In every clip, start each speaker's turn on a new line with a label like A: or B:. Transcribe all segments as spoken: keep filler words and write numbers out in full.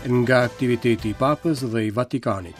A: Nga aktiviteti i Papës dhe i Vatikanit.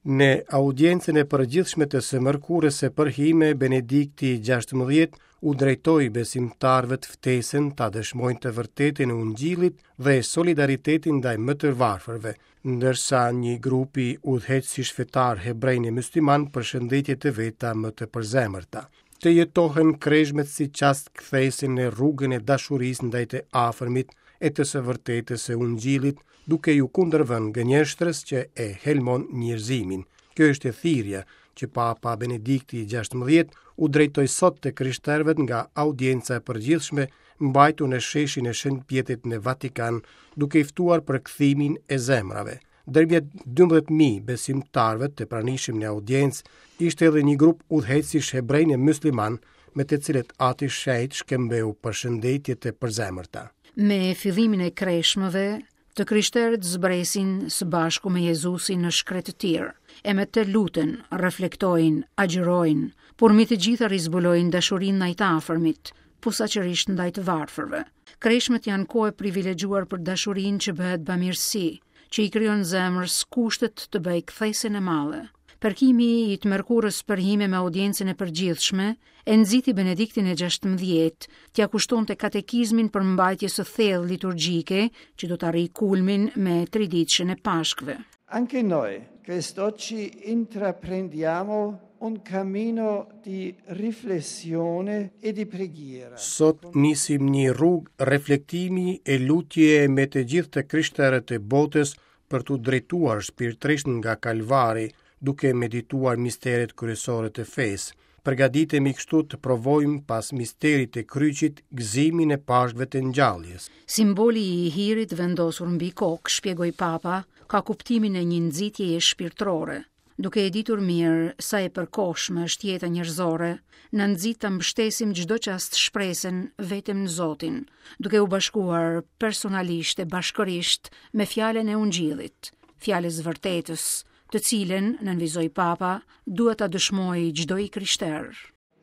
A: Në audiencën e përgjithshme të së mërkurës së përhime, Benedikti gjashtëmbëdhjetë u drejtoi besimtarëve të ftesën ta dëshmojnë të vërtetën e Ungjillit dhe solidaritetin ndaj më të varfërve, ndërsa një grupi udhëheqësish fetar hebrejnë e musliman përshëndetje të veta më të përzemërta. Të jetohen kreshmet si çast kthese në rrugën e dashurisë ndaj të afërmit e të së vërtetës së Ungjillit, duke ju kundërvënë gënjeshtrës që e helmon njerëzimin. Kjo është e thirrja që Papa Benedikti gjashtëmbëdhjetë u drejtoi sot të krishterëve nga audienca e përgjithshme mbajtur në sheshin e Shën Pjetrit në Vatikan, duke i ftuar për kthimin e zemrave. Ndërmjet dymbëdhjetë mijë besimtarëve të pranishëm në audiencë ishte edhe një grup udhëheqësish hebrejnë e musliman, me të cilët Ati Shenjt shkëmbeu përshëndetje të përzemërta.
B: Me fillimin e kreshmëve, të krishterët zbresin së bashku me Jezusin në shkretëtirë, e me të luten, reflektojnë, agjërojnë, por mbi të gjitha rizbulojnë dashurinë ndaj të afërmit, posaçërisht ndaj të varfërve. Kreshmët janë kohë e privilegjuar për dashurinë që bëhet bamirësi, që i krijon zemrës kushtet të bëjë kthesën e madhe. Përkimi i të mërkurës përhime me audiencën e përgjithshme e nxiti Benediktin e gjashtëmbëdhjetë t'ia kushtonte katekizmin për mbajtjes së thellë liturgjike që do të arrijë kulmin me triditëshen e Pashkëve.
C: Anche noi quest'oggi intraprendiamo un cammino di riflessione e di preghiera.
A: Sot nisim një rrugë reflektimi e lutje me të gjithë të krishterët e botës për t'u drejtuar shpirtërisht nga Kalvari, duke medituar misteret kryesore të fesë. Përgatitemi kështu të provojmë pas misterit të kryqit gëzimin e Pashkëve të ngjalljes.
B: Simboli i hirit vendosur mbi kokë, shpjegoi Papa, ka kuptimin e një nxitjeje shpirtërore. Duke e ditur mirë sa e përkohshme është jeta njerëzore, na nxit ta mbështesim çdo çast shpresën vetëm në Zotin, duke u bashkuar personalisht e bashkërisht me fjalën e Ungjillit, fjalës vërtetës, të cilën, nënvizoi Papa, duhet ta dëshmojë çdo i krishter.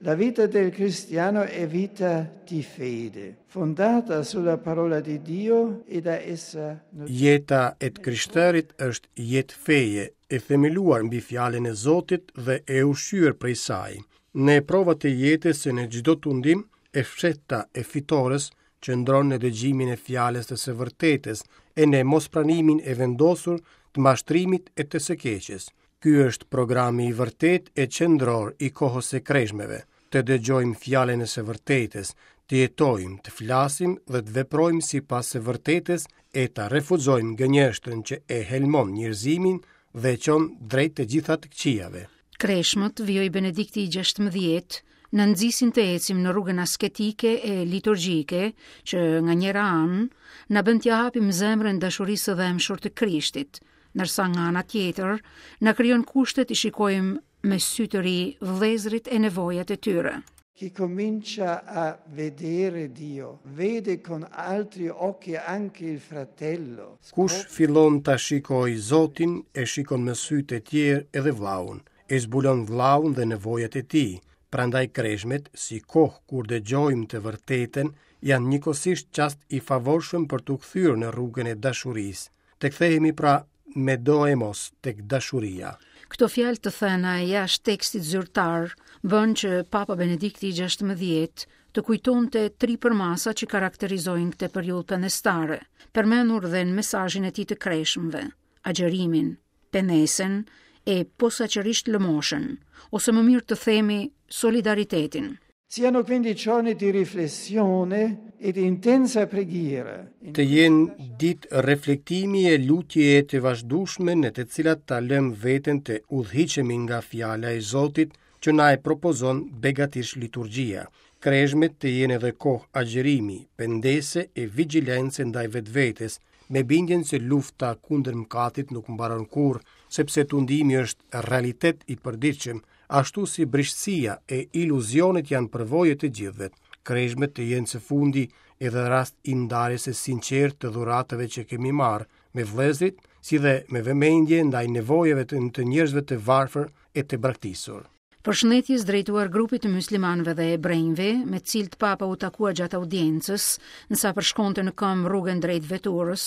C: La vita del cristiano è vita di fede, fondata sulla parola di Dio e da essa nutrita.
A: Jeta e të krishterit është jetë feje, e themeluar mbi fjalën e Zotit dhe e ushqyer prej saj. Në provat e jetës e në çdo tundim, e fshehta e fitores qëndron në dëgjimin e fjalës të së vërtetës e në mospranimin e vendosur të mashtrimit e të së keqes. Ky është programi i vërtet e qendror i kohës së kreshmeve, të dëgjojmë fjalën e së vërtetës, të jetojmë, të flasim dhe të veprojmë sipas së vërtetës e ta refuzojmë gënjeshtrën që e helmon njerëzimin dhe e çon drejt të gjitha të këqijave.
B: Kreshmët, vijoi Benedikti i gjashtëmbëdhjetë, na nxisin të ecim në rrugën asketike e liturgjike, që nga njëra anë na bën t'ia hapim zemrën dashurisë së dhembshur të Krishtit, ndërsa nga ana tjetër na krijon kushtet i shikojmë me sy të ri vëllezërit e nevojat e tyre.
C: Chi comincia a vedere Dio, vede con altri occhi anche il fratello.
A: Kush fillon ta shikojë Zotin, e shikon me sytë e tjerë edhe vllaun, e zbulon vllaun dhe nevojat e tij. Prandaj kreshmet, si kohë kur dëgjojmë të vërtetën, janë njëkohësisht çast i favorshëm për t'u kthyer në rrugën e dashurisë. Të kthehemi pra me doemos tek dashuria.
B: Këto fjalë të thëna jashtë tekstit zyrtar bën që Papa Benedikti i gjashtëmbëdhjetë të kujtonte tri përmasa që karakterizojnë këtë periudhë pendestare, përmendur dhe në mesazhin e tij të kreshmëve, agjërimin, pendesën e posaçërisht lëmoshën, ose më mirë të themi solidaritetin.
C: Siano quindi giorni di riflessione e di intensa preghiera.
A: Të jenë ditë reflektimi e lutjeje të vazhdueshme në të cilat ta lëm veten të udhëhiqemi nga fjala e Zotit që na e propozon begatish liturgjia. Kreshmet të jenë edhe kohë agjërimi, pendese e vigjilence ndaj vetvetes, me bindjen se lufta kundër mëkatit nuk mbaron kurrë, sepse tundimi është realitet i përditshëm, ashtu si brishtësia e iluzionet janë përvoje të gjithëve. Kreshmet të jenë së fundi edhe rast i ndarjes së sinqertë të dhuratave që kemi marrë me vëllezërit, si dhe me vëmendje ndaj nevojave të, të njerëzve të varfër e të braktisur.
B: Përshëndetjes drejtuar grupit të muslimanëve dhe hebrenjve, me të cilët Papa u takua gjatë audiencës, nësa përshkonte në këmbë rrugën drejt veturës,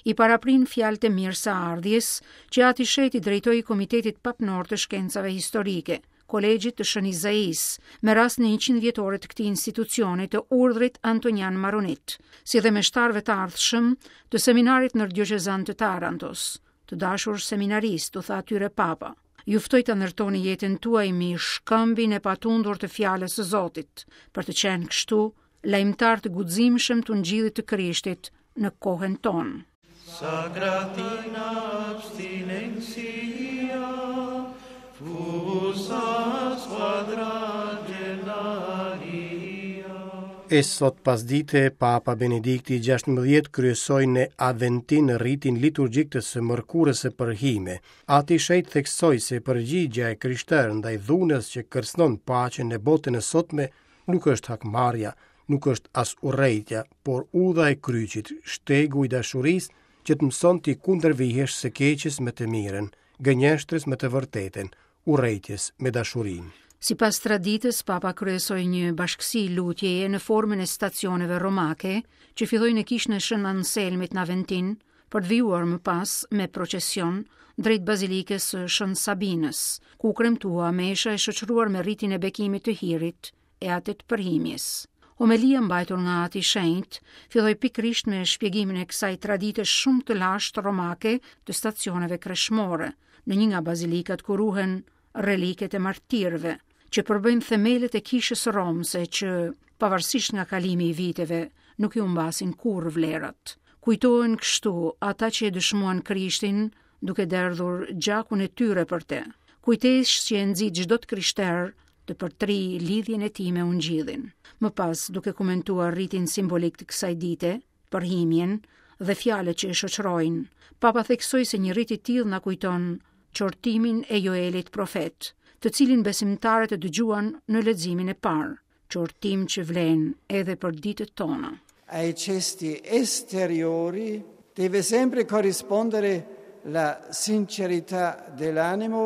B: i paraprin fjalët e mirëseardhjes që Ati i Shenjtë i drejtoi Komitetit Papnor të Shkencave Historike, Kolegjit të Shën Izaisë, me rastin e njëqind vjetorit të këtij institucioni të urdhrit Antonian Maronit, si dhe meshtarëve të ardhshëm të seminarit ndërdioqezan të Tarantos. Të dashur seminaristë, u tha atyre Papa, ju ftoj të ndërtoni jetën tuaj mbi shkëmbin e patundur të fjalës së Zotit, për të qenë kështu lajmëtar të guximshëm të Ungjillit të Krishtit në kohën tonë.
D: Sagratina abstinentia, fusa squadragenaria.
A: E sot pasdite, Papa Benedikti gjashtëmbëdhjetë kryesoi në Aventin ritin liturgjik të së mërkurës së përhime. Ati i Shenjtë theksoi se përgjigja e krishterë ndaj dhunës që kërcënon paqen në botën e sotme nuk është hakmarrja, nuk është as urrejtja, por udha e kryqit, shtegu i dashurisë që të mëson ti kundërvihesh së keqes me të mirën, gënjeshtrës me të vërtetën, urrejtjes me dashurinë.
B: Sipas traditës, Papa kryesoi një bashkësi lutjeje në formën e stacioneve romake, që filloi në kishën e Shën Anselmit në Aventin, për të vijuar më pas me procesion drejt bazilikës së Shën Sabinës, ku u kremtua mesha e shoqëruar me ritin e bekimit të hirit e atë të përhimjes. Homelia mbajtur nga Ati i Shenjtë filloi pikërisht me shpjegimin e kësaj tradite shumë të lashtë romake të stacioneve kreshmore, në një nga bazilikat ku ruhen reliket e martirëve, që përbëjnë themelet e kishës romse që, pavarësisht nga kalimi i viteve, nuk i humbasin kurrë vlerat. Kujtohen kështu ata që e dëshmuan Krishtin duke derdhur gjakun e tyre për te. Kujtesë që e nxit çdo të krishter të përtri lidhjen e tij me Ungjillin. Më pas, duke komentuar ritin simbolik të kësaj dite, përhimjen dhe fjalët që e shoqërojnë, Papa theksoi se një rit i tillë na kujton qortimin e Joelit profet, të cilin besimtarët e dëgjuan në leximin e parë, qortim që vlen edhe për ditët tona.
C: Ai gesti esteriori deve sempre corrispondere la sincerità dell'animo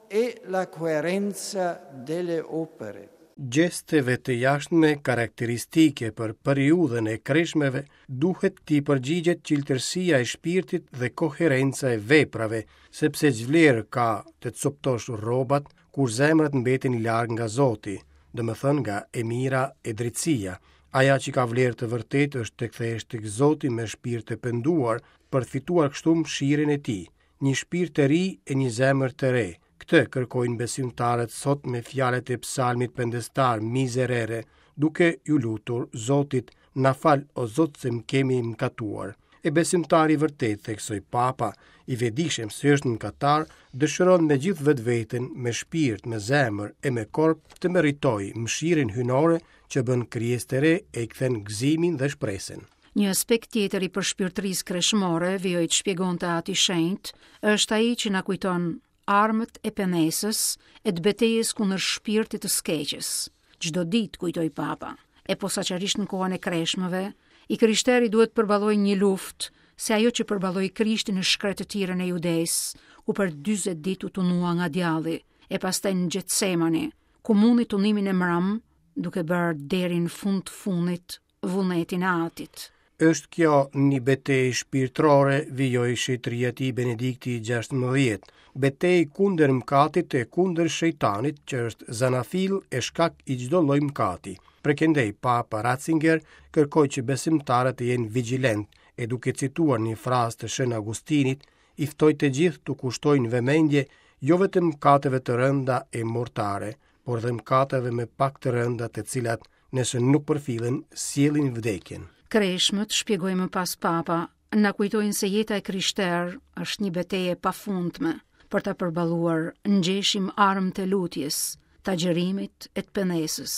C: e la coerenza delle opere.
A: Gjesteve të jashtme karakteristike për periudhën e kreshmeve duhet t'i përgjigjet qiltërsia e shpirtit dhe koherenca e veprave, sepse ç'vlerë ka të coptosh rrobat kur zemrat mbeten larg nga Zoti, domethënë nga e mira e drejtësia. Aja që ka vlerë të vërtetë është të kthehesh tek Zoti me shpirt të penduar për të fituar kështu mëshirën e tij, një shpirt të ri e një zemër të re. Këtë kërkojnë besimtarët sot me fjalët e psalmit pendestar Miserere, duke ju lutur Zotit, na fal o Zot se më kemi mëkatuar. E besimtari i vërtet, theksoi Papa, i vetëdijshëm se është mëkatar, dëshiron me gjithë vetveten, me shpirt, me zemër e me korp të meritoj mëshirën hyjnore që bën krijesë të re e i kthen gëzimin dhe shpresën.
B: Një aspekt tjetër i përshpirtërisë kreshmore, vijoi të shpjegonte Ati i Shenjtë, është ai që na kujton armët e penesës e të betejës kundër shpirtit të skeqës. Çdo ditë, kujtoi Papa, e posaçërisht në kohën e kreshmëve, i krishteri duhet përballojë një luftë, se ajo që përballoi Krishti në shkretëtirën e Judesë, ku për dyzet ditë u tunua nga djalli, e pastaj në Getsemani, ku mundi tunimin e mram, duke bërë deri në fund të fundit vullnetin e Atit.
A: Është kjo një betejë shpirtërore, vijoi shenjtëria e tij Benedikti gjashtëmbëdhjetë, betejë kundër mëkatit e kundër shejtanit, që është zanafil e shkak i çdo lloj mëkati. Prekendej Papa Ratzinger kërkoi që besimtarët të jenë vigjilent e duke cituar një frazë të Shën Augustinit, i ftoi të gjithë t'u kushtojnë vëmendje jo vetëm mëkateve të rënda e mortare, por dhe mëkateve me pak të rënda të cilat, nëse nuk përfillen, sjellin vdekjen.
B: Kreshmët, shpjegoi më pas Papa, na kujtojnë se jeta e krishterë është një betejë e pafundme. Për ta përballuar, ngjeshim armët e lutjes, të agjërimit e të penesës.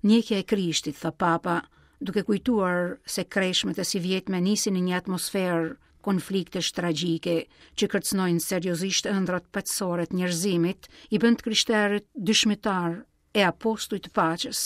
B: Ndjekja e Krishtit, tha Papa, duke kujtuar se kreshmët e sivjetme nisin në një atmosferë konfliktesh tragjike që kërcënojnë seriozisht ëndrat paqësore të njerëzimit, i bën të krishterët dëshmitar e apostuj të paqes.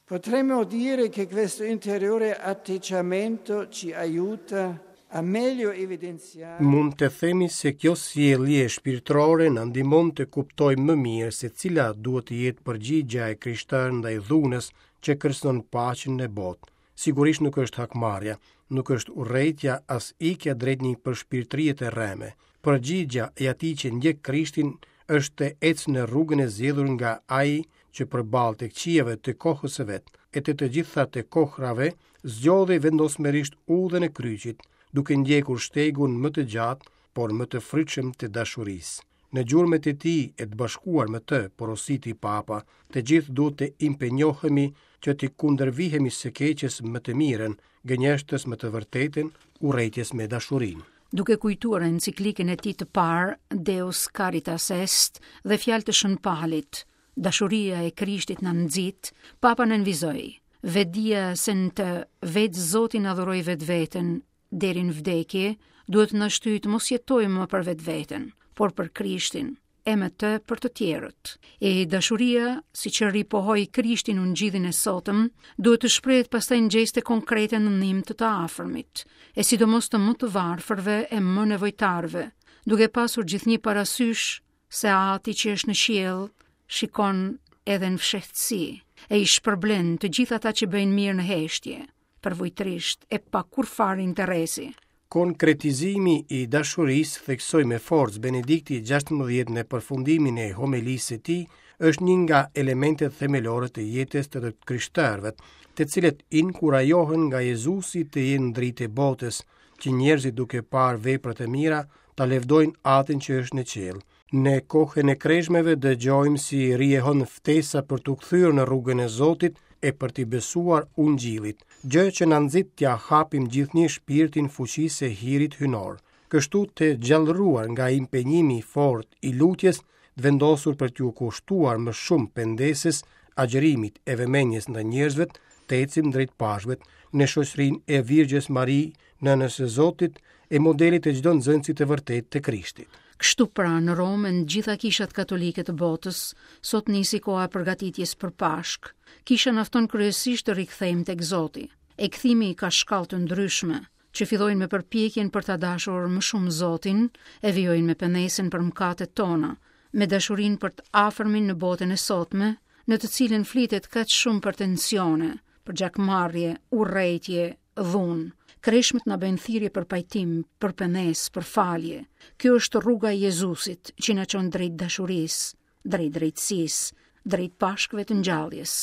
C: Potremmo dire che questo interiore atteggiamento ci aiuta A meglio evidenziare
A: Mund të themi se kjo sjellje shpirtërore na ndihmon të kuptojmë më mirë se cila duhet të jetë përgjigjja e krishterë ndaj dhunës që kërcënon paqen në botë. Sigurisht nuk është hakmarrja, nuk është urrejtja as ikja drejt një përshpirtërie të rreme. Përgjigjja e atij që ndjek Krishtin është të ecë në rrugën e zgjedhur nga ai që përballë të këqijave të kohës së vet, e të të gjitha të kohrave, zgjodhi vendosmërisht udhën e kryqit, duke ndjekur shtegun më të gjatë, por më të frytshëm të dashurisë. Në gjurmët e tij e të bashkuar me të, porositi Papa, të gjithë duhet të impenjohemi që t'i kundërvihemi së keqes më të mirën, gënjeshtës me të vërtetën, urrejtjes me dashurinë.
B: Duke kujtuar enciklikën e tij të parë, Deus Caritas Est, dhe fjalë të Shën Palit, dashuria e Krishtit na nxit, Papa nënvizoi, vetdija se në të vetë Zoti na dhuroi vetveten deri në vdekje, duhet të na shtyjë të mos jetojmë më për vetveten, por për Krishtin, e me të për të tjerët. E dashuria, siç e ripohoi Krishti në ungjillin e sotëm, duhet të shprehet pastaj në gjeste konkrete në ndihmë të të afërmit, e sidomos të më të varfërve e më nevojtarëve, duke pasur gjithnjë parasysh se Ati që është në qiell shikon edhe në fshehtësi, e i shpërblen të gjithë ata që bëjnë mirë në heshtje, përvujtrisht e pa kurrfarë interesi.
A: Konkretizimi i dashurisë, theksoi me forcë Benedikti gjashtëmbëdhjetë në përfundimin e homilisë së tij, është një nga elementet themelore të jetës të të krishterëve, të cilët inkurajohen nga Jezusi të jenë dritë e botës, që njerëzit duke parë veprat e mira ta lëvdojnë Atin që është në qiell. Në kohën e kreshmeve dëgjojmë si rihon ftesa për t'u kthyer në rrugën e Zotit e për t'i besuar ungjillit, gjë që na nxit t'ia hapim gjithnjë shpirtin fuqisë së hirit hyjnor. Kështu të gjallëruar nga impenjimi i fortë i lutjes, të vendosur për t'ju kushtuar më shumë pendesës, agjërimit e vëmendjes ndaj njerëzve, të ecim drejt Pashkëve në shoqërinë e Virgjës Mari, nënës së Zotit, e modelit të çdo nxënësi të vërtetë të Krishtit.
B: Kështu pra, në Romë, në gjitha kishat katolike të botës, sot nisi koha e përgatitjes për Pashkë. Kisha na fton kryesisht të rikthehemi tek Zoti. E kthimi ka shkallë të ndryshme, që fillojnë me përpjekjen për ta dashur më shumë Zotin, e vijojnë me pendesën për mëkatet tona, me dashurinë për të afërmin në botën e sotme, në të cilën flitet kaq shumë për tensione, për gjakmarrje, urrejtje, dhunë. Kreshmët na bëjnë thirrje për pajtim, për pendesë, për falje. Kjo është rruga e Jezusit që na çon drejt dashurisë, drejt drejtësisë, drejt Pashkëve të ngjalljes.